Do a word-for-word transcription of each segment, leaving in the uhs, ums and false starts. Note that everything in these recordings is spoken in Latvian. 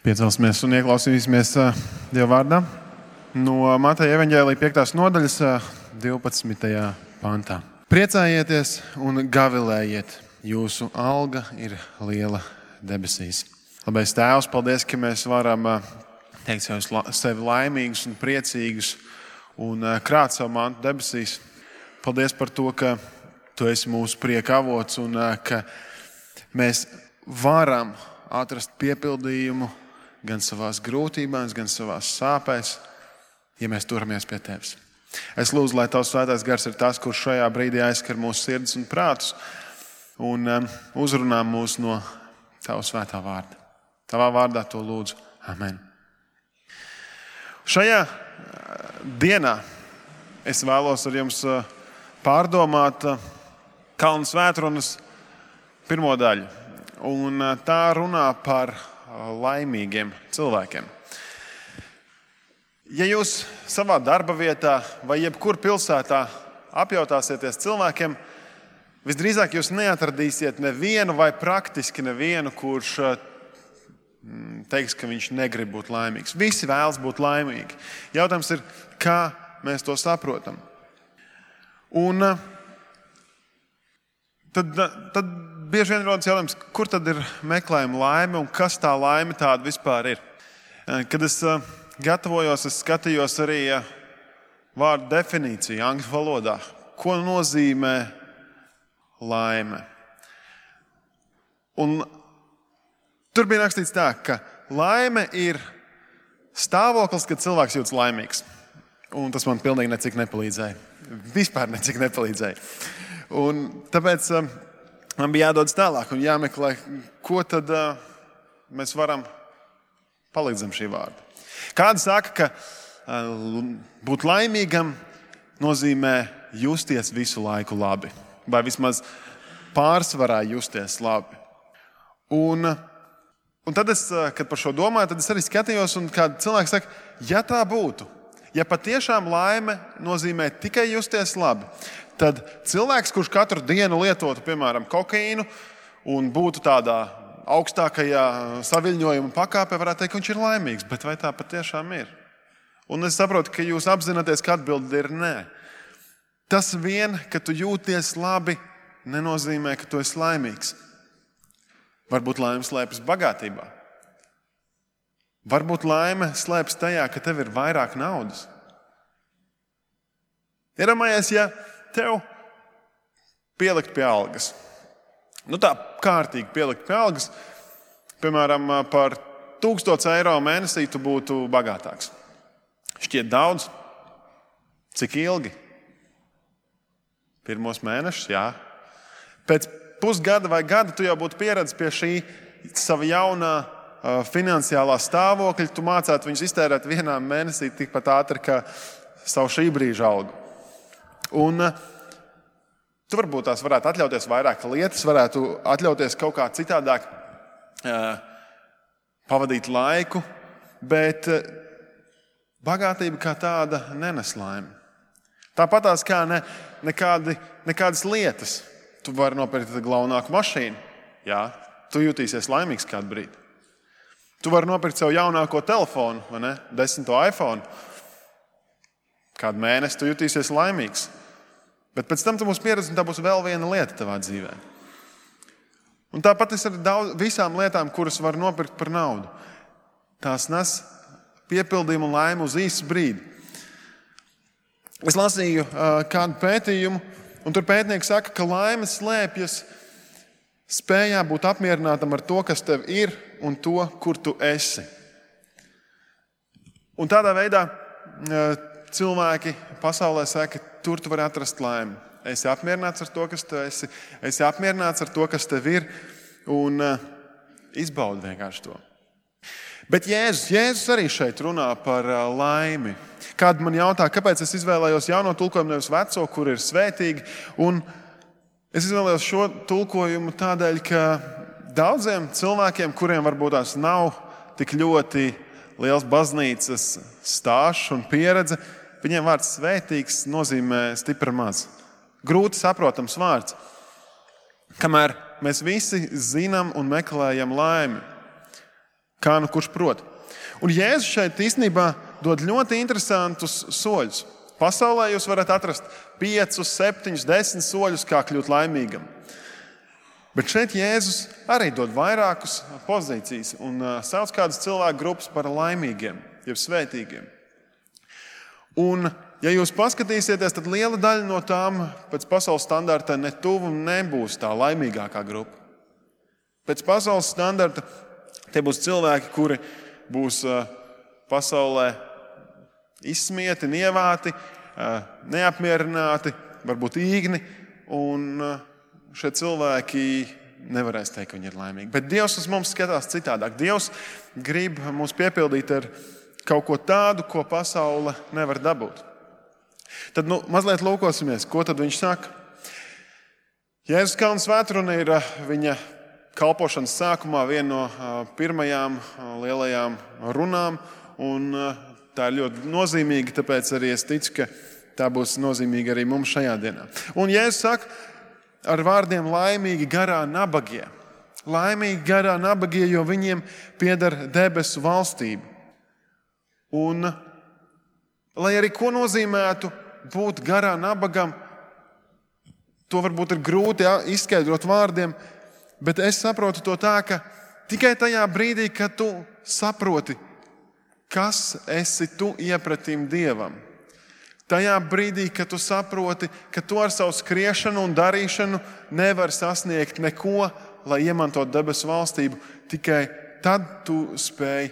Piecelsimies un ieklausīsimies Dieva vārdā no Mateja evaņģēlija piektās nodaļas divpadsmitajā pantā. Priecājieties un gavilējiet, jūsu alga ir liela debesīs. Labais Tēvs, paldies, ka mēs varam teikt sevi laimīgus un priecīgus un krāt savu mantu debesīs. Paldies par to, ka Tu esi mūsu prieka avots un ka mēs varam atrast piepildījumu gan savās grūtībās, gan savās sāpēs, ja mēs turamies pie Tevis. Es lūdzu, lai Tavs svētais gars ir tas, kurš šajā brīdī aizskar mūsu sirdis un prātus un um, uzrunā mūs no Tava svētā vārda. Tavā vārdā to lūdzu. Amen. Šajā dienā es vēlos ar jums pārdomāt Kalnu svētrunas pirmo daļu. Un tā runā par laimīgiem cilvēkiem. Ja jūs savā darba vietā vai jebkur pilsētā apjautāsieties cilvēkiem, visdrīzāk jūs neatradīsiet nevienu vai praktiski nevienu, kurš teiks, ka viņš negrib būt laimīgs. Visi vēlas būt laimīgi. Jautājums ir, kā mēs to saprotam. Un tad, tad bieži vien rodas jautājums, kur tad ir meklējuma laime un kas tā laime tāda vispār ir. Kad es gatavojos, es skatījos arī vārdu definīciju angļu valodā. Ko nozīmē laime? Un tur bija rakstīts tā, ka laime ir stāvoklis, kad cilvēks jūtas laimīgs. Un tas man pilnīgi necik nepalīdzēja. Vispār necik nepalīdzēja. Un tāpēc man bija jādodas tālāk un jāmeklē, ko tad uh, mēs varam palikt zem šī vārda. Kādi saka, ka uh, būt laimīgam nozīmē justies visu laiku labi. Vai vismaz pārsvarā justies labi. Un, un tad es, kad par šo domāju, tad es arī skatījos un kādi cilvēki saka, ja tā būtu, ja patiešām laime nozīmē tikai justies labi, tad cilvēks, kurš katru dienu lietotu, piemēram, kokaīnu un būtu tādā augstākajā saviļņojuma pakāpē, varētu teikt, ka viņš ir laimīgs. Bet vai tā patiešām ir? Un es saprotu, ka jūs apzināties, ka atbilde ir nē. Tas vien, ka tu jūties labi, nenozīmē, ka tu esi laimīgs. Varbūt laime slēpjas bagātībā. Varbūt laime slēpjas tajā, ka tev ir vairāk naudas. Iedomājies, ja tev pielikt pie algas. Nu tā kārtīgi pielikt pie algas. Piemēram, par tūkstots eiro mēnesī tu būtu bagātāks. Šķiet daudz. Cik ilgi? Pirmos mēnešus, jā. Pēc pusgada vai gada tu jau būtu pieredzis pie šī sava jaunā uh, finansiālā stāvokļa. Tu mācētu viņus iztērēt vienā mēnesī tikpat ātri, kā savu šī brīža algu. Un tu varbūt tās varētu atļauties vairāk lietas, varētu atļauties kaut kā citādāk uh, pavadīt laiku, bet uh, bagātība kā tāda nenes laimi. Tāpatās kā ne, nekādi, nekādas lietas. Tu vari nopirkt glaunāku mašīnu, jā, tu jutīsies laimīgs kādu brīdi. Tu vari nopirkt sev jaunāko telefonu, vai ne, desmito iPhone. Kādu mēnesi tu jutīsies laimīgs. Bet pēc tam tu būsi pieredzis, un tā būs vēl viena lieta tavā dzīvē. Un tāpat tas ir daudz, visām lietām, kuras var nopirkt par naudu. Tās nes piepildījumu un laimi uz īsu brīdi. Es lasīju uh, kādu pētījumu, un tur pētnieki saka, ka laime slēpjas spējā būt apmierinātam ar to, kas tev ir, un to, kur tu esi. Un tādā veidā uh, cilvēki pasaulē saka, ka tur tu vari atrast laimi. Esi apmierināts ar to, kas tu esi. Esi apmierināts ar to, kas tev ir. Un uh, izbaudi vienkārši to. Bet Jēzus, Jēzus arī šeit runā par uh, laimi. Kādi man jautā, kāpēc es izvēlējos jauno tulkojumu, nevis veco, kur ir svētīgi. Un es izvēlējos šo tulkojumu tādēļ, ka daudziem cilvēkiem, kuriem varbūt tās nav tik ļoti liels baznīcas stāsts un pieredze, viņiem vārds svētīgs nozīmē stipri maz. Grūti saprotams vārds. Kamēr mēs visi zinām un meklējam laimi. kā nu kurš prot. Un Jēzus šeit īstenībā dod ļoti interesantus soļus. Pasaulē jūs varat atrast piecus, septiņus, desmit soļus, kā kļūt laimīgam. Bet šeit Jēzus arī dod vairākas pozīcijas un sauc kādas cilvēku grupas par laimīgiem, jeb svētīgiem. Un, ja jūs paskatīsieties, tad liela daļa no tām pēc pasaules standarta ne tuvu nebūs tā laimīgākā grupa. Pēc pasaules standarta tie būs cilvēki, kuri būs pasaulē izsmieti, nievāti, neapmierināti, varbūt īgni, un šie cilvēki nevarēs teikt, ka viņi ir laimīgi. Bet Dievs uz mums skatās citādāk. Dievs grib mūs piepildīt ar kaut ko tādu, ko pasaule nevar dabūt. Tad nu, mazliet lūkosimies, ko tad viņš saka. Jēzus Kalna svētruna ir viņa kalpošanas sākumā viena no pirmajām lielajām runām, un tā ir ļoti nozīmīga, tāpēc arī es ticu, ka tā būs nozīmīga arī mums šajā dienā. Un Jēzus saka ar vārdiem laimīgi garā nabagie. Laimīgi garā nabagie, jo viņiem pieder debesu valstība. Un, lai arī ko nozīmētu būt garā nabagam, to varbūt ir grūti izskaidrot vārdiem, bet es saprotu to tā, ka tikai tajā brīdī, kad tu saproti, kas esi tu iepratim Dievam. Tajā brīdī, kad tu saproti, ka tu ar savu skriešanu un darīšanu nevar sasniegt neko, lai iemantotu debesu valstību, tikai tad tu spēj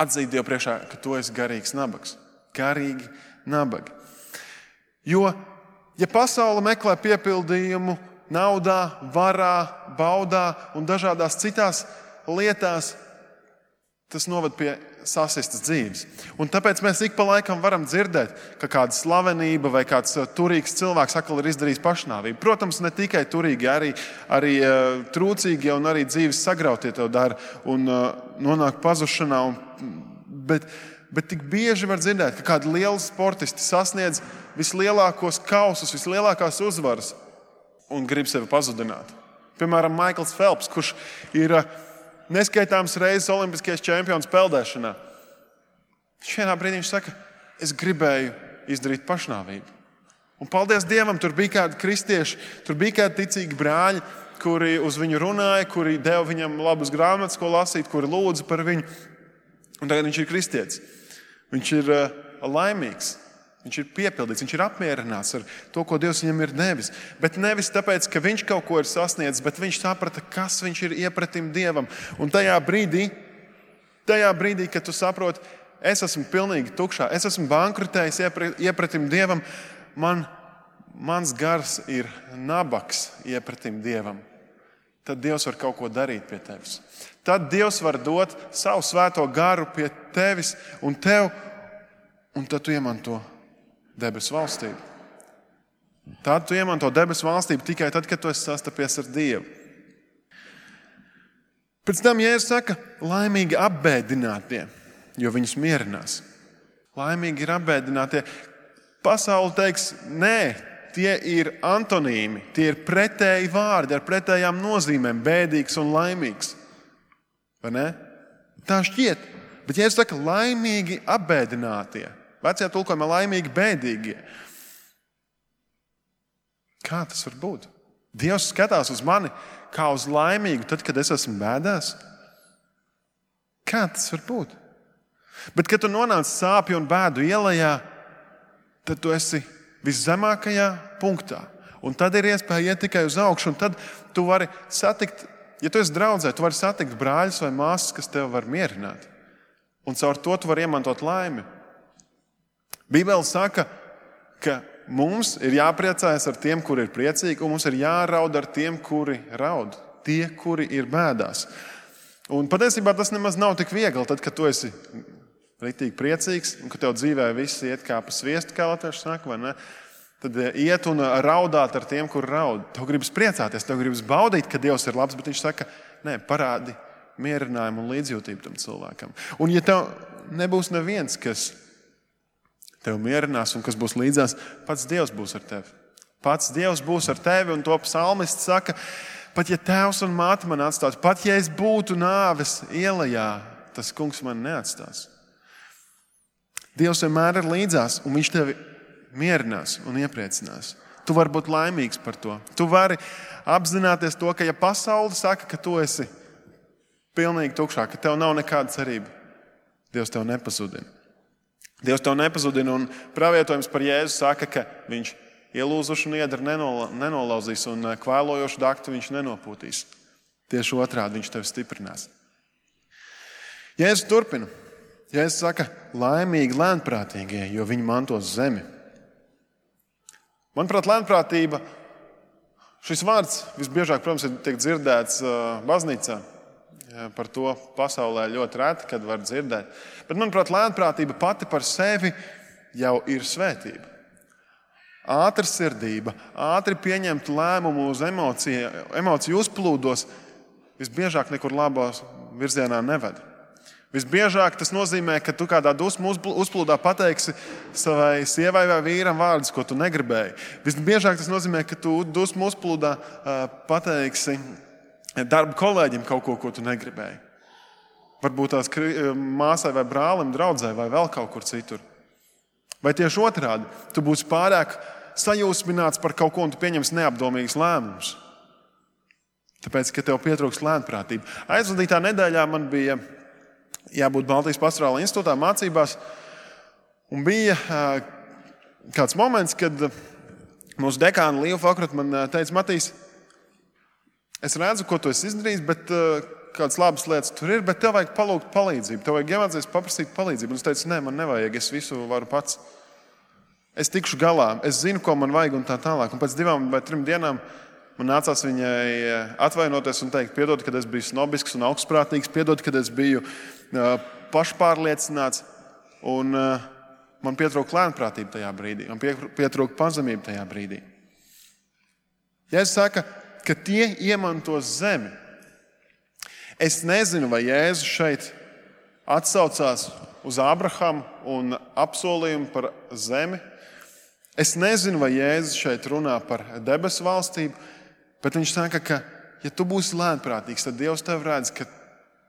atzīt Dievu priekšā, ka tu esi garīgs nabags. Garīgi nabagi. Jo, ja pasaule meklē piepildījumu naudā, varā, baudā un dažādās citās lietās, tas noved pie sasistas dzīves. Un tāpēc mēs ik pa laikam varam dzirdēt, ka kāda slavenība vai kāds turīgs cilvēks atkal ir izdarījis pašnāvību. Protams, ne tikai turīgi, arī, arī uh, trūcīgie un arī dzīves sagrautie to dara un uh, nonāk pazušanā. Un, bet, bet tik bieži var dzirdēt, ka kādi lieli sportisti sasniedz vislielākos kausus, vislielākās uzvaras un grib sevi pazudināt. Piemēram, Maikls Felps, kurš ir uh, neskaitāms reizes olimpiskais čempions peldēšanā. Vienā brīdī viņš saka, es gribēju izdarīt pašnāvību. Un paldies Dievam, tur bija kādi kristieši, tur bija kādi ticīgi brāļi, kuri uz viņu runāja, kuri deva viņam labus grāmatas, ko lasīt, kuri lūdza par viņu. Un tagad viņš ir kristietis. Viņš ir uh, laimīgs. Viņš ir piepildīts, viņš ir apmierināts ar to, ko Dievs viņam ir devis. Bet nevis tāpēc, ka viņš kaut ko ir sasniedzis, bet viņš saprata, kas viņš ir iepratim Dievam. Un tajā brīdī, tajā brīdī, kad tu saproti, es esmu pilnīgi tukšā, es esmu bankrutējis iepratim Dievam, man, mans gars ir nabaks iepratim Dievam. Tad Dievs var kaut ko darīt pie tevis. Tad Dievs var dot savu svēto garu pie tevis un tev, un tad tu iemanto debesu valstību. Tad tu iemanto debesu valstību tikai tad, kad tu esi sastapies ar Dievu. Pēc tam Jēzus saka, laimīgi apbēdinātie, jo viņus mierinās. Laimīgi ir apbēdinātie. Pasaule teiks, nē, tie ir antonīmi, tie ir pretēji vārdi ar pretējām nozīmēm, bēdīgs un laimīgs. Vai ne? Tā šķiet. Bet Jēzus saka, laimīgi apbēdinātie. Vecajā tulkojumā laimīgi bēdīgie. Kā tas var būt? Dievs skatās uz mani kā uz laimīgu, tad, kad es esmu bēdās. Kā tas var būt? Bet, kad tu nonāc sāpju un bēdu ielajā, tad tu esi viszemākajā punktā. Un tad ir iespēja iet tikai uz augšu, un tad tu vari satikt, ja tu esi draudzē, tu vari satikt brāļus vai māsas, kas tev var mierināt. Un caur to tu vari iemantot laimi. Bībele saka, ka mums ir jāpriecājas ar tiem, kuri ir priecīgi, un mums ir jāraud ar tiem, kuri raud. Tie, kuri ir bēdās. Un patiesībā tas nemaz nav tik viegli, tad, kad tu esi ritīgi priecīgs, un ka tev dzīvē viss iet kā pa sviestu, kā latvieši saka, vai ne? Tad iet un raudāt ar tiem, kuri raud. Tev gribas priecāties, tev gribas baudīt, ka Dievs ir labs, bet viņš saka, nē, parādi mierinājumu un līdzjūtību tam cilvēkam. Un ja tev nebūs neviens, kas tev mierinās un kas būs līdzās, pats Dievs būs ar tevi. Pats Dievs būs ar tevi, un to psalmists saka, pat ja tēvs un māte man atstātu, pat ja es būtu nāves ielajā, tas kungs mani neatstās. Dievs vienmēr ir līdzās, un viņš tevi mierinās un iepriecinās. Tu vari būt laimīgs par to. Tu vari apzināties to, ka ja pasaule saka, ka tu esi pilnīgi tukšā, ka tev nav nekāda cerība, Dievs tev nepazudina. Dievs tev nepazudina, un pravietojums par Jēzu saka, ka viņš ielūzušu niedru nenolauzīs un kvēlojošu daktu viņš nenopūtīs. Tieši otrādi viņš tevi stiprinās. Jēzus turpina. Jēzus saka, laimīgi lēnprātīgie, jo viņi mantos zemi. Manuprāt, lēnprātība, šis vārds visbiežāk, protams, tiek dzirdēts baznīcā. Par to pasaulē ļoti reti, kad var dzirdēt. Bet, manuprāt, lēnprātība pati par sevi jau ir svētība. Ātra sirdība, ātri pieņemt lēmumu uz emociju, emociju uzplūdos, visbiežāk nekur labās virzienā neved. Visbiežāk tas nozīmē, ka tu kādā dusmu uzplūdā pateiksi savai sievai vai vīram vārdus, ko tu negribēji. Visbiežāk tas nozīmē, ka tu dusmu uzplūdā pateiksi darba kolēģim kaut ko, ko tu negribēji. Varbūt tās māsai vai brālim, draudzē vai vēl kaut kur citur. Vai tieši otrādi, tu būsi pārāk sajūsmināts par kaut ko un tu pieņemsi neapdomīgus lēmumus. Tāpēc, ka tev pietrūks lēnprātība. Aizvadītā nedēļā man bija jābūt Baltijas pastorāla institūtā mācībās, un bija kāds moments, kad mūsu dekāna Līva Fakrata man teica, Matīs, es redzu, ko tu esi izdarījis, bet kādas labas lietas tur ir, bet tev vajag palūgt palīdzību. Tev vajag iemācīties paprasīt palīdzību. Un es teicu, nē, man nevajag, es visu varu pats. Es tikšu galā, es zinu, ko man vajag un tā tālāk. Un pēc divām vai trim dienām man nācās viņai atvainoties un teikt, piedod, kad es biju snobisks un augstprātīgs, piedod, kad es biju pašpārliecināts. Un man pietrūka lēnprātība tajā brīdī. Man pietrūka pazemība tajā brīdī. Jēzus saka, ka tie iemantos zemi. Es nezinu, vai Jēzus šeit atsaucās uz Ābrahamu un apsolījumu par zemi. Es nezinu, vai Jēzus šeit runā par debesu valstību, bet viņš saka, ka, ja tu būsi lēnprātīgs, tad Dievs tev redz, ka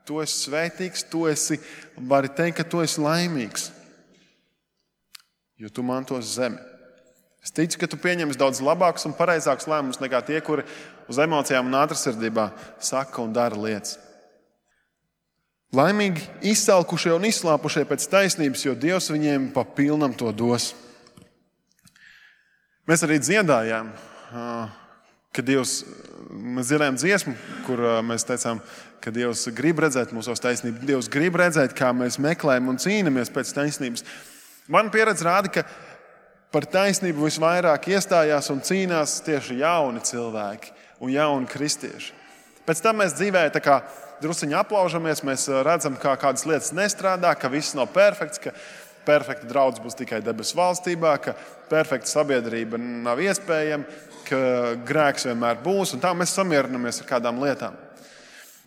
tu esi svētīgs, tu esi, vari teikt, ka tu esi laimīgs, jo tu mantos zemi. Es ticu, ka tu pieņemsi daudz labākus un pareizākus lēmumus nekā tie, kuri uz emocijām un ātrasirdībā saka un dara lietas. Laimīgi izsalkušie un izslāpušie pēc taisnības, jo Dievs viņiem pa pilnam to dos. Mēs arī dziedājām, ka Dievs, mēs dziedājām dziesmu, kur mēs teicām, ka Dievs grib redzēt mūsos taisnību. Dievs grib redzēt, kā mēs meklējam un cīnamies pēc taisnības. Man pieredze rāda, ka par taisnību visvairāk iestājās un cīnās tieši jauni cilvēki un jauni kristieši. Pēc tam mēs dzīvē tā kā drusciņi aplaužamies, mēs redzam, kā kādas lietas nestrādā, ka viss nav perfekts, ka perfekta draudz būs tikai debesu valstībā, ka perfekta sabiedrība nav iespējama, ka grēks vienmēr būs, un tā mēs samierinamies ar kādām lietām.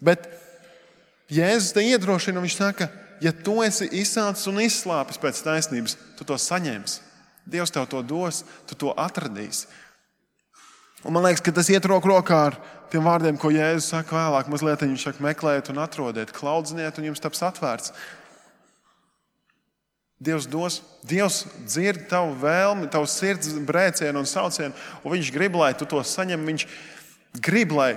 Bet Jēzus te iedrošina, viņš saka, ja tu esi izsācis un izslāpis pēc taisnības, tu to saņemsi. Dievs tev to dos, tu to atradīsi. Un man liekas, ka tas iet roku rokā ar tiem vārdiem, ko Jēzus saka vēlāk. Mazliet viņš saka, meklējiet un atrodiet, klaudziniet un jums taps atvērts. Dievs dos, Dievs dzird tavu vēlmi, tavu sirds brēcienu un saucienu, un viņš grib, lai tu to saņem. Viņš grib, lai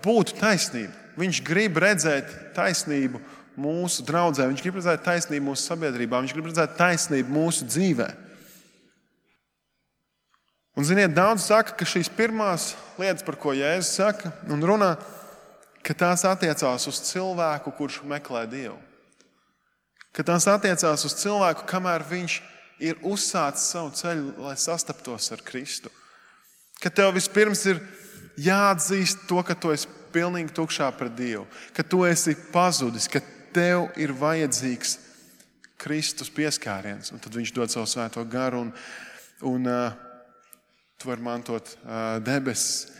būtu taisnība. Viņš grib redzēt taisnību mūsu draudzē, viņš grib redzēt taisnību mūsu sabiedrībā, viņš grib redzēt taisnību mūsu dzīvē. Un, ziniet, daudz saka, ka šīs pirmās lietas, par ko Jēzus saka un runā, ka tās attiecās uz cilvēku, kurš meklē Dievu. Ka tās attiecās uz cilvēku, kamēr viņš ir uzsācis savu ceļu, lai sastaptos ar Kristu. Ka tev vispirms ir jāatzīst to, ka tu esi pilnīgi tukšā pret Dievu, ka tu esi pazudis, ka tev ir vajadzīgs Kristus pieskāriens, un tad viņš dod savu svēto garu un, un uh, tu vari mantot uh, debesis.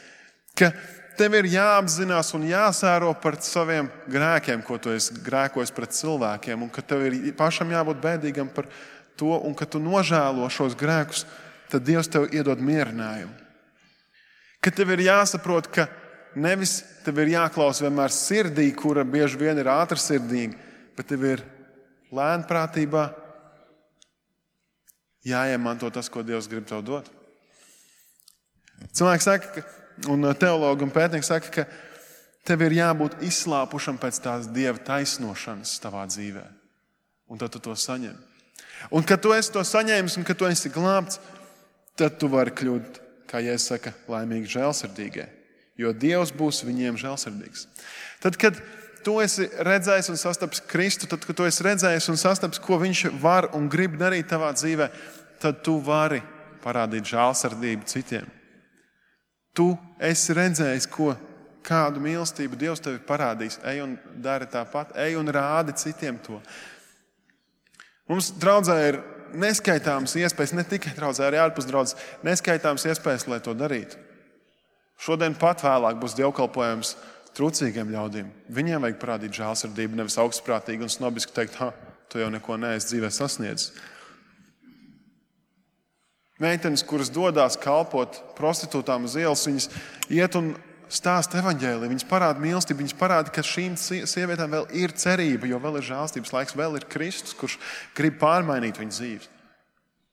Ka tev ir jāapzinās un jāsēro par saviem grēkiem, ko tu esi grēkojis pret cilvēkiem, un ka tev ir pašam jābūt bēdīgam par to, un ka tu nožēlo šos grēkus, tad Dievs tev iedod mierinājumu. Ka tev ir jāsaprot, ka nevis tev ir jāklaus vienmēr sirdī, kura bieži vien ir ātrsirdīga, bet tev ir lēnprātībā jāiemanto tas, ko Dievs grib tev dot. Cilvēki saka, un teologi un pētnieki saka, ka tev ir jābūt izslāpušam pēc tās Dieva taisnošanas tavā dzīvē. Un tad tu to saņem. Un kad tu esi to saņēmis un kad tu esi glābts, tad tu vari kļūt, kā Jēzus saka, laimīgi žēlsirdīgie. Jo Dievs būs viņiem žēlsirdīgs. Tad, kad tu esi redzējis un sastapis Kristu, tad, kad tu esi redzējis un sastapis, ko viņš var un grib darīt tavā dzīvē, tad tu vari parādīt žēlsirdību citiem. Tu esi redzējis, ko, kādu mīlestību Dievs tevi parādīs. Ej un dari tāpat, ej un rādi citiem to. Mums draudzē ir neskaitāmas iespējas, ne tikai draudzē, arī ārpus draudzes, neskaitāmas iespējas, lai to darītu. Šodien pat vēlāk būs dievkalpojums trūcīgiem ļaudīm. Viņiem vajag parādīt žēlsirdību, nevis augstprātīgi un snobiski teikt, ha, tu jau neko neesi dzīvē sasniedzis. Meitenes, kuras dodās kalpot prostitūtām uz ielas, viņas iet un stāsta evaņģēliju, viņas parāda mīlestību, viņas parāda, ka šīm sievietēm vēl ir cerība, jo vēl ir žēlstības laiks, vēl ir Kristus, kurš grib pārmainīt viņu dzīves.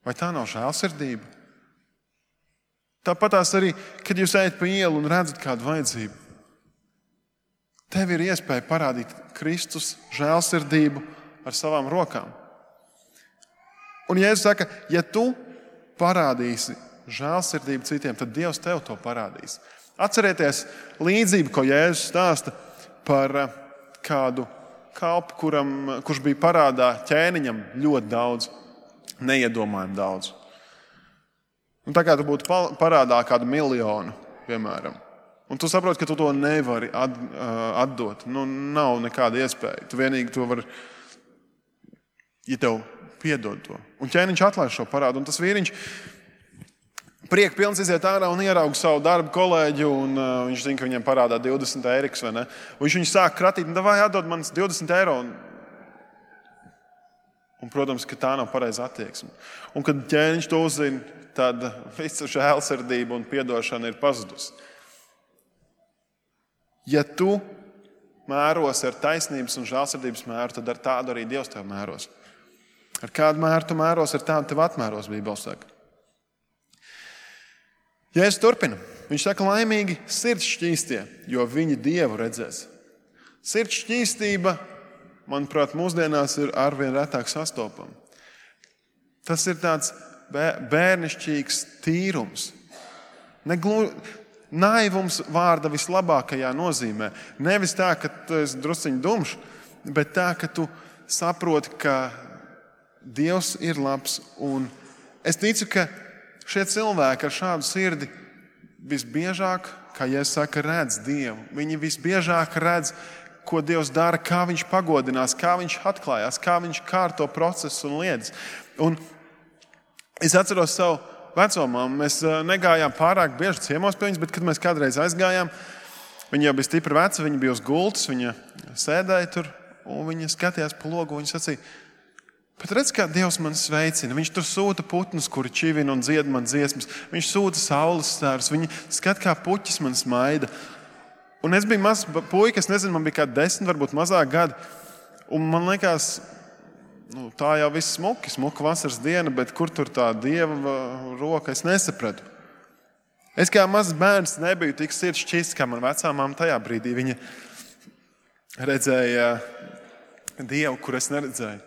Vai tā nav žēlsirdība? Tāpatās arī, kad jūs ejat pa ielu un redzat kādu vajadzību, tev ir iespēja parādīt Kristus žēlsirdību ar savām rokām. Un Jēzus saka, ja tu parādīsi žēlsirdību citiem, tad Dievs tev to parādīs. Atcerieties līdzību, ko Jēzus stāsta par kādu kalpu, kuram, kurš bija parādā ķēniņam ļoti daudz, neiedomājami daudz. Un tā kā tu būtu parādā kādu miljonu, piemēram, un tu saproti, ka tu to nevari at, atdot. Nu, nav nekāda iespēja. Tu vienīgi to vari, ja tev piedod to. Un ķēniņš atlaiž šo parādu. Un tas vīriņš priek pilns iziet ārā un ierauga savu darbu kolēģi. Un, uh, viņš zina, ka viņiem parādā divdesmit eiriks, vai ne? Un viņš viņu sāk kratīt. Un davai atdod man divdesmit eiro. Un, un, protams, ka tā nav pareiza attieksme. Un, kad ķēniņš to uzzina, tad visa žēlsirdība un piedošana ir pazudusi. Ja tu mēros ar taisnības un žēlsirdības mēru, tad ar tādu arī Dievs tev mēros. Ar kādu mēru tu mēros, ar tādu tev atmēros, Bībele saka. Jēzus turpina. Viņš saka, laimīgi sirds šķīstie, jo viņi Dievu redzēs. Sirds šķīstība, manuprāt, mūsdienās ir arvien retāk sastopama. Tas ir tāds bērnišķīgs tīrums. Neglu... Naivums vārda vislabākajā nozīmē. Nevis tā, ka tu esi drusciņi dumšs, bet tā, ka tu saproti, ka Dievs ir labs. Un es ticu, ka šie cilvēki ar šādu sirdi visbiežāk, kā Jēzus saka, redz Dievu. Viņi visbiežāk redz, ko Dievs dara, kā viņš pagodinās, kā viņš atklājās, kā viņš kārto procesu un lietas. Un es atceros savu vecomām. Mēs negājām pārāk bieži ciemos pie viņas, bet kad mēs kādreiz aizgājām, viņa jau bija stipri veca, viņa bija uz gultas, viņa sēdēja tur un viņa skatījās pa logu un viņa sacīja, bet redz, kā Dievs man sveicina. Viņš tur sūta putnus, kuri čivina un dzied man dziesmas. Viņš sūta saules stārus. Viņa skat, kā puķis man smaida. Un es biju mazs puika, es nezinu, man bija kā desmit, varbūt mazāk gadi. Un man liekas, nu, tā jau viss smuki, smuka vasaras diena, bet kur tur tā Dieva roka, es nesapratu. Es kā mazs bērns nebiju tik sirds šķists, kā man vecā mamma tajā brīdī. Viņa redzēja Dievu, kur es neredzēju.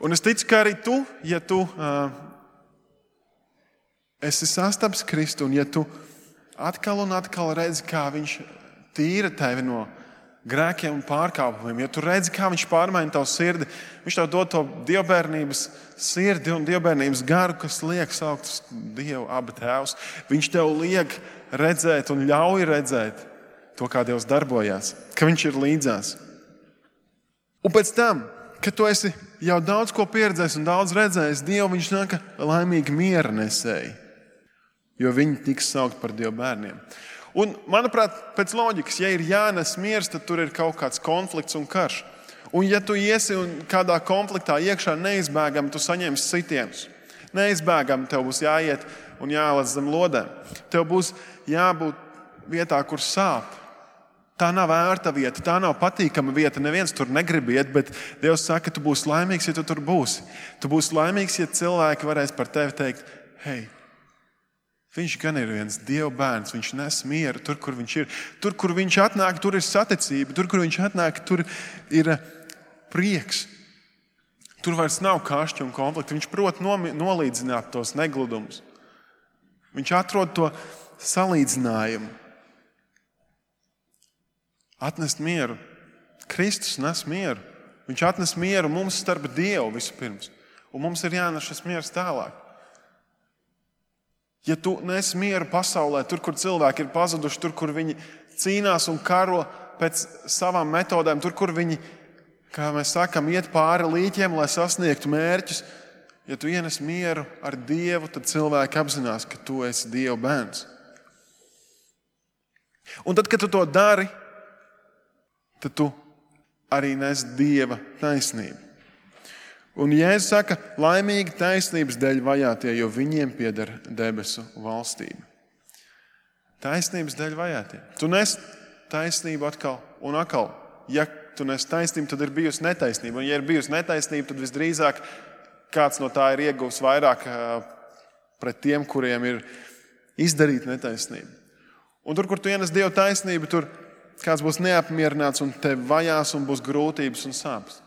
Un es ticu, ka arī tu, ja tu uh, esi sastapis Kristu, un ja tu atkal un atkal redzi, kā viņš tīra tevi no grēkiem un pārkāpumiem, ja tu redzi, kā viņš pārmaina tavu sirdi, viņš tev dod to dievbērnības sirdi un dievbērnības garu, kas liek saukt uz Dievu abi tēvus. Viņš tev liek redzēt un ļauj redzēt to, kā Dievs darbojās, ka viņš ir līdzās. Un pēc tam, kad tu esi jau daudz ko pieredzējis un daudz redzējis, Dievu viņš nāka laimīgi miera nesēji, jo viņi tiks saukt par Dieva bērniem. Un, manuprāt, pēc loģikas, ja ir jānes miers, tad tur ir kaut kāds konflikts un karš. Un ja tu iesi un kādā konfliktā iekšā neizbēgami, tu saņemsi sitienus. Neizbēgami tev būs jāiet un jālec zem lodēm. Tev būs jābūt vietā, kur sāp. Tā nav ērta vieta, tā nav patīkama vieta. Neviens tur negrib iet, bet Dievs saka, ka tu būsi laimīgs, ja tu tur būsi. Tu būsi laimīgs, ja cilvēki varēs par tevi teikt, hei, viņš gan ir viens Dieva bērns, viņš nes mieru tur, kur viņš ir. Tur, kur viņš atnāk, tur ir saticība, tur, kur viņš atnāk, tur ir prieks. Tur vairs nav kašķi un konflikti. Viņš prot nolīdzināt tos negludumus. Viņš atrod to salīdzinājumu. Atnest mieru. Kristus nes mieru. Viņš atnes mieru mums starp Dievu vispirms. Un mums ir jānes šis miers tālāk. Ja tu nes mieru pasaulē, tur, kur cilvēki ir pazuduši, tur, kur viņi cīnās un karo pēc savām metodēm, tur, kur viņi, kā mēs sakam, iet pāri līķiem, lai sasniegtu mērķus, ja tu ienes mieru ar Dievu, tad cilvēki apzinās, ka tu esi Dieva bērns. Un tad, kad tu to dari, tad tu arī nes Dieva taisnību. Un Jēzus saka, laimīgi taisnības dēļ vajātie, jo viņiem pieder debesu valstība. Taisnības dēļ vajātie. Tu nes taisnību atkal un atkal. Ja tu nes taisnību, tad ir bijusi netaisnība. Un ja ir bijusi netaisnība, tad visdrīzāk kāds no tā ir ieguvis vairāk pret tiem, kuriem ir izdarīta netaisnība. Un tur, kur tu ienes Dieva taisnību, tur kāds būs neapmierināts un tev vajās un būs grūtības un sāpes.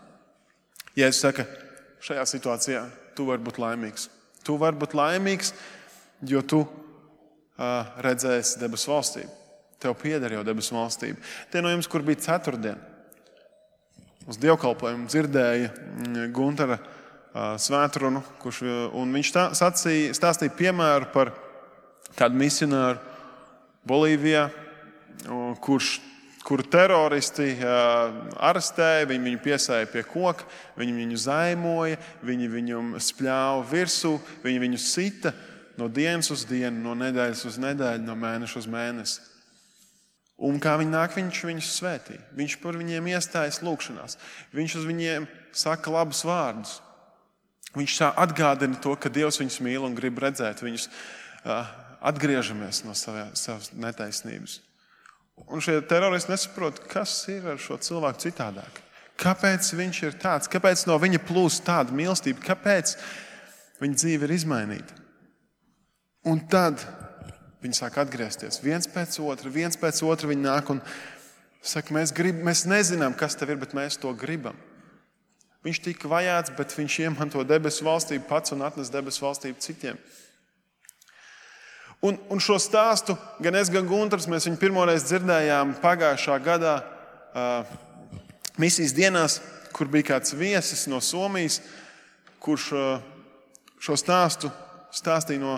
Jēzus saka, šajā situācijā tu vari būt laimīgs. Tu vari būt laimīgs, jo tu uh, redzēsi debesu valstību. Tev pieder jau debesu valstība. Tie no jums, kur bija ceturtdien, uz dievkalpojumu dzirdēja Guntara uh, svētrunu, kurš, un viņš tā, sacīja, stāstīja piemēru par kādu misionāru Bolīvijā, kurš kur teroristi uh, arestēja, viņi viņu piesēja pie koka, viņi viņu zaimoja, viņi viņam spļāva virsū, viņi viņu sita no dienas uz dienu, no nedēļas uz nedēļu, no mēneša uz mēnesi. Un kā viņi nāk, viņš viņus svētī. Viņš par viņiem iestājas lūkšanās. Viņš uz viņiem saka labus vārdus. Viņš tā atgādina to, ka Dievs viņus mīl un grib redzēt. Viņus uh, atgriežamies no savā, savas netaisnības. Un šie teroristi nesaprot, kas ir ar šo cilvēku citādāk. Kāpēc viņš ir tāds? Kāpēc no viņa plūst tāda mīlestība? Kāpēc viņa dzīve ir izmainīta? Un tad viņi sāk atgriezties. Viens pēc otra, viens pēc otra viņi nāk un saka, mēs, grib, mēs nezinām, kas tev ir, bet mēs to gribam. Viņš tika vajāts, bet viņš iemanto debesu valstību pats un atnes debesu valstību citiem. Un, un šo stāstu gan es, gan Guntars, mēs viņu pirmoreiz dzirdējām pagājušā gadā uh, misijas dienās, kur bija kāds viesis no Somijas, kurš uh, šo stāstu stāstīja no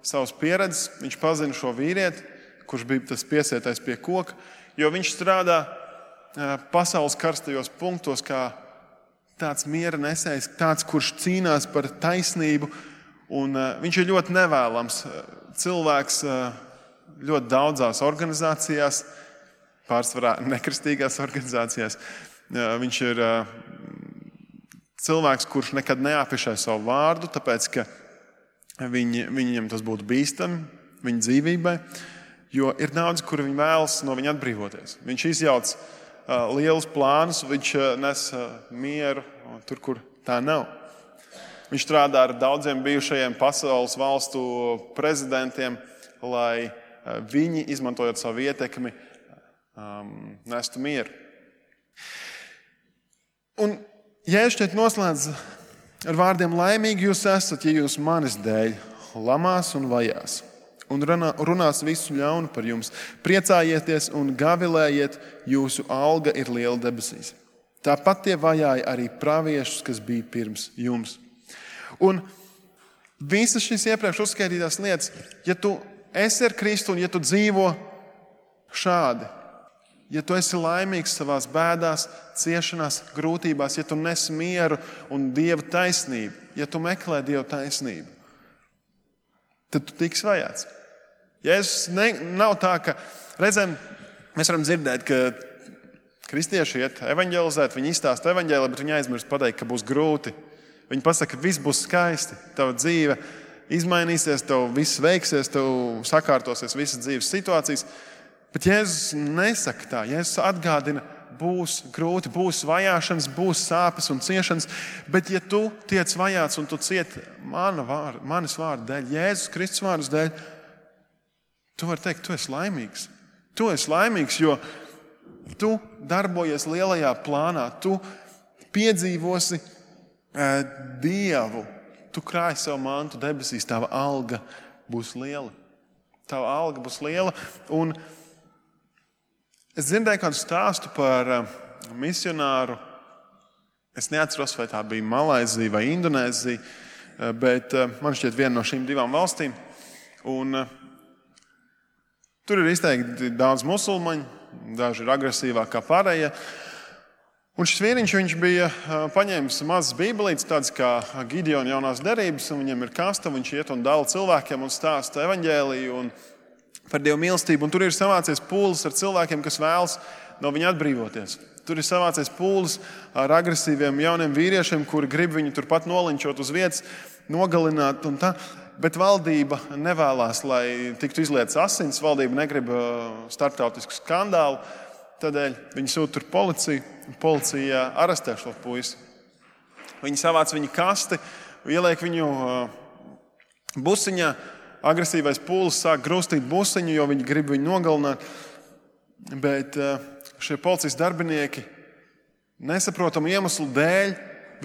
savas pieredzes. Viņš pazina šo vīrieti, kurš bija tas piesietais pie koka, jo viņš strādā uh, pasaules karstajos punktos kā tāds miera nesējs, tāds, kurš cīnās par taisnību. Un uh, viņš ir ļoti nevēlams cilvēks ļoti daudzās organizācijās, pārsvarā nekristīgās organizācijās. Viņš ir cilvēks, kurš nekad neapiešai savu vārdu, tāpēc, ka viņi, viņiem tas būtu bīstami, viņa dzīvībai, jo ir daudz, kuri viņi vēlas no viņa atbrīvoties. Viņš izjauc lielus plānus, viņš nes mieru tur, kur tā nav. Viņš strādā ar daudziem bijušajiem pasaules valstu prezidentiem, lai viņi, izmantojot savu ietekmi, um, nestu mieru. Un Jēzus šeit noslēdz ar vārdiem laimīgi jūs esat, ja jūs manis dēļ lamās un vajās, un runās visu ļaunu par jums. Priecājieties un gavilējiet, jūsu alga ir liela debesīs. Tāpat tie vajāja arī praviešus, kas bija pirms jums. Un visas šīs iepriekš uzskaitītās lietas, ja tu esi ar Kristu un ja tu dzīvo šādi, ja tu esi laimīgs savās bēdās, ciešanās, grūtībās, ja tu nes mieru un Dieva taisnību, ja tu meklē Dieva taisnību, tad tu tiks vajāts. Jēzus ne, nav tā, ka reizēm mēs varam dzirdēt, ka kristieši iet evaņģelizēt, viņi izstāsta evaņģēli, bet viņi aizmirst pateikt, ka būs grūti. Viņi pasaka, ka viss būs skaisti, tava dzīve izmainīsies, tev viss veiksies, tev sakārtosies visas dzīves situācijas, Bet Jēzus nesaka tā. Jēzus atgādina, būs grūti, būs vajāšanas, būs sāpes un ciešanas, bet ja tu tiec vajāts un tu cieti mana vārda, manis vārda dēļ, Jēzus Kristus vārdas dēļ, tu vari teikt, tu esi laimīgs. Tu esi laimīgs, jo tu darbojies lielajā plānā, tu piedzīvosi uh, Dievu, tu krāji savu mantu debesīs, tava alga būs liela. Tava alga būs liela. Un es dzirdēju kādu stāstu par uh, misionāru. Es neatceros, vai tā bija Malaizija vai Indonēzija, uh, bet uh, man šķiet viena no šīm divām valstīm. Un uh, tur ir izteikti daudz musulmaņu, daži ir agresīvāki kā pārējie. Un šis vīriņš, viņš bija uh, paņēmis mazas bībelītes, tādas kā Gideona jaunās derības, un viņam ir kasta, viņš iet un dala cilvēkiem un stāsta evaņģēliju un par Dievu mīlestību. Un tur ir savācies pūlis ar cilvēkiem, kas vēlas no viņa atbrīvoties. Tur ir savācies pūlis ar agresīviem jauniem vīriešiem, kuri grib viņu turpat nolinčot uz vietas, nogalināt un tā. Bet valdība nevēlās, lai tiktu izlietas asins. Valdība negrib starptautisku skandālu. Tādēļ viņi sūta tur policiju. Policija arestē šo puisi. Viņi savāc viņu kasti, ieliek viņu busiņā. Agresīvais pūlis sāk grūstīt busiņu, jo viņi grib viņu nogalināt. Bet šie policijas darbinieki nesaprotamu iemeslu dēļ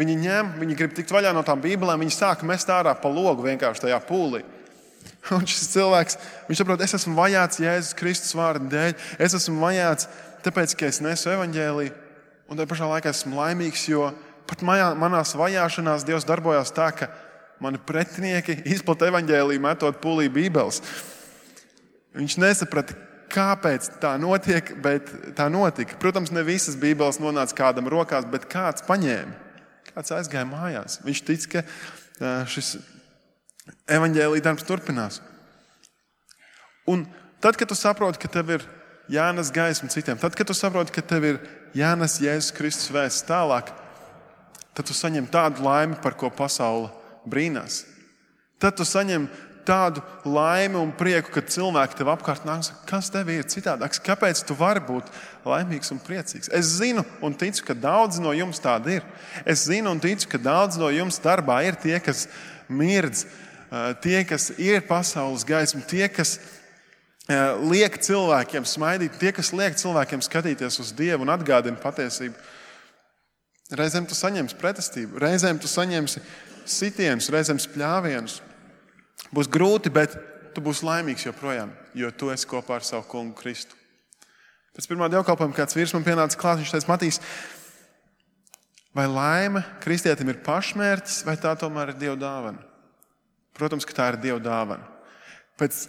viņi ņem, viņi grib tikt vaļā no tām bībelēm, viņi sāk mest ārā pa logu vienkārši tajā pūlī. Un šis cilvēks, viņš saprot, es esmu vajāts Jēzus Kristus vārda dēļ, es esmu vajāts tāpēc, ka es nesu evaņģēliju, un tajā pašā laikā esmu laimīgs, jo pat manā, manās vajāšanās Dievs darbojās tā, ka mani pretinieki izplata evaņģēliju metot pūlī bībeles. Viņš nesaprata, kāpēc tā notiek, bet tā notika. Protams, ne visas bībeles nonāca kādam rokās, bet kāds paņēma. Kāds aizgāja mājās. Viņš tic, ka šis evaņģēlija darbs turpinās. Un tad, kad tu saproti, ka tev ir jānes gaisma citiem, tad, kad tu saproti, ka tev ir jānes Jēzus Kristus vēsts tālāk, tad tu saņem tādu laimi, par ko pasaule brīnās. Tad tu saņem tādu laimi un prieku, kad cilvēki tev apkārt nāk un saka, kas tev ir citādāks, kāpēc tu vari būt laimīgs un priecīgs. Es zinu un ticu, ka daudz no jums tādi ir. Es zinu un ticu, ka daudz no jums darbā ir tie, kas mirdz, tie, kas ir pasaules gaisma, tie, kas liek cilvēkiem smaidīt, tie, kas liek cilvēkiem skatīties uz Dievu un atgādina patiesību. Reizēm tu saņemsi pretestību, reizēm tu saņemsi sitienus, reizēm spļāvienus. Būs grūti, bet tu būsi laimīgs joprojām, jo tu esi kopā ar savu kungu Kristu. Pēc pirmā dievkalpojuma kāds vīrs man pienāca klāt, viņš teica, Matīs, vai laime kristietim ir pašmērķis, vai tā tomēr ir Dieva dāvana? Protams, ka tā ir Dieva dāvana. Pēc,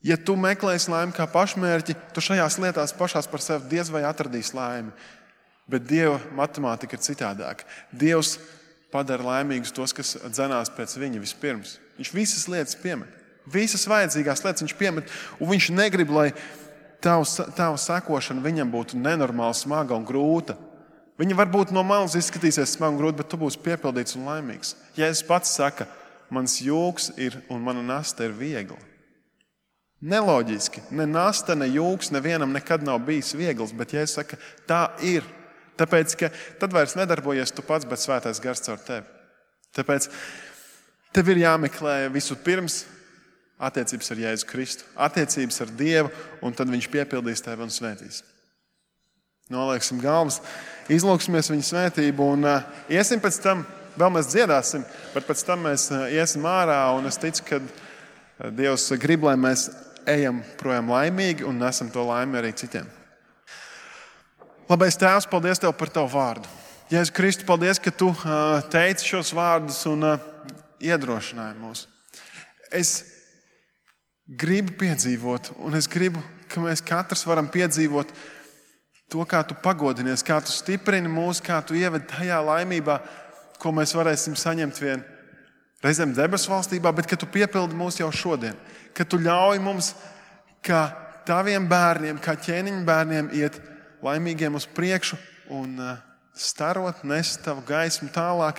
ja tu meklēsi laimi kā pašmērķi, tu šajās lietās pašās par sevi diez vai atradīsi laimi. Bet Dieva matemātika ir citādāka. Dievs padara laimīgus tos, kas dzenās pēc viņa vispirms. Viņš visas lietas piemet. Visas vajadzīgās lietas viņš piemet, un viņš negrib, lai tavu, tavu sekošana viņam būtu nenormāli smaga un grūta. Viņa varbūt no malas izskatīsies smaga un grūta, bet tu būsi piepildīts un laimīgs. Jēzus pats saka, mans jūks ir un mana nasta ir viegla. Neloģiski. Ne nasta, ne jūks nevienam nekad nav bijis viegls, bet Jēzus saka, tā ir. Tāpēc, ka tad vairs nedarbojies tu pats, bet svētais gars caur tevi. Tāpēc tev ir jāmeklē visu pirms attiecības ar Jēzu Kristu, attiecības ar Dievu, un tad viņš piepildīs tevi un svētīs. Nolieksim galvas, izlūksimies viņa svētību un uh, iesim pēc tam, vēl mēs dziedāsim, bet pēc tam mēs uh, iesim ārā, un es ticu, ka uh, Dievs grib, lai mēs ejam projām laimīgi un nesam to laimi arī citiem. Labais Tēvs, paldies Tev par Tavu vārdu. Jēzu Kristu, paldies, ka Tu uh, teici šos vārdus un uh, iedrošināji mūs. Es gribu piedzīvot, un es gribu, ka mēs katrs varam piedzīvot to, kā Tu pagodinies, kā Tu stiprini mūs, kā Tu ieved tajā laimībā, ko mēs varēsim saņemt vien reizēm debesu valstībā, bet ka Tu piepildi mūs jau šodien, ka Tu ļauj mums, kā Taviem bērniem, kā ķēniņu bērniem iet laimīgiem uz priekšu un starot, nest Tavu gaismu tālāk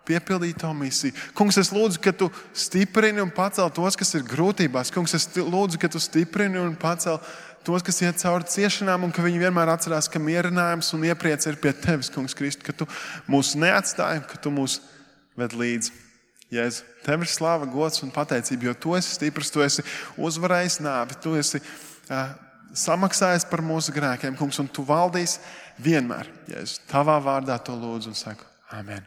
piepildīt to misiju. Kungs, es lūdzu, ka tu stiprini un pacel tos, kas ir grūtībās. Kungs, es lūdzu, ka tu stiprini un pacel tos, kas iet cauri ciešanām, un ka viņi vienmēr atcerās, ka mierinājums un iepriec ir pie tevis, Kungs Kristu, ka tu mūs neatstāji, ka tu mūs ved līdzi. Jēzu, tev ir slāva, gods un pateicība, jo tu esi stiprs, tu esi uzvarējis nāvi, tu esi uh, samaksājis par mūsu grēkiem, Kungs, un tu valdīs vienmēr. Jēzu, tavā vārdā to lūdzu un saku. Amen.